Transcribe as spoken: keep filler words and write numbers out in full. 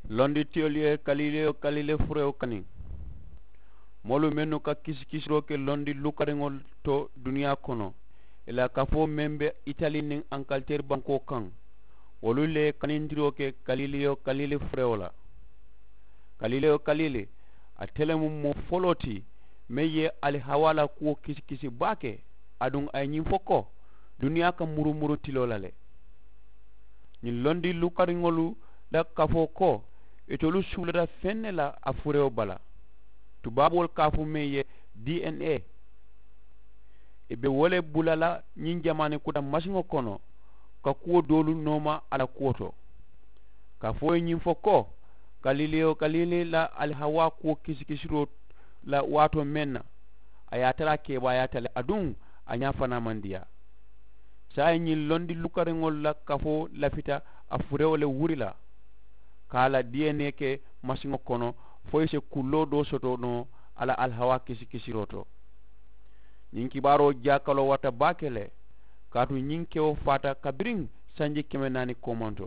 Londitiyolu ye kalileyo kalile furewo kaniŋ. Moolu mennu ka kisikisiroo ke londi lukariŋolu to duniyaa kono, ì la kafoo meŋ be itali niŋ ankaliteeri bankoo kaŋ, wolu le ye kanindiroo ke kalileyo kalile furewo la. Kalileyo kalile, ate le mu moo foloo ti meŋ ye alihawaa la kuwo kisikisi baake. Aduŋ a ye ñiŋ fo ko, duniyaa ka murumuru tiloo la le. Ñiŋ londi lukariŋolu la kafoo ko, itolu suulata feŋ ne la a furewo bala. Tubaaboolu ka a fo meŋ ye, dna. Ì be wo le bula la ñiŋ jamaani kuta masiŋo kono, ka kuwo doolu nooma a la kuwo to. Ka fo ye ñiŋ fo ko, kalileyo kalile la alihawaa kuwo kisikisiroo la waatoo meŋ na, a ye a tara a keebaayaata le aduŋ a ñaa fanaa maŋ diyaa. Saayiŋ ñiŋ londi lukariŋolu la kafoo lafita a furewo le wuri la, ka a la diyenee ke masiŋo kono, fo i si kulloo doo soto noo a la alihawaa kisikisiroo to. Ñiŋ kibaaroo jaakaloo warata baake le, kaatu ñiŋ kewo faata kabiriŋ sanji keme naani koomanto.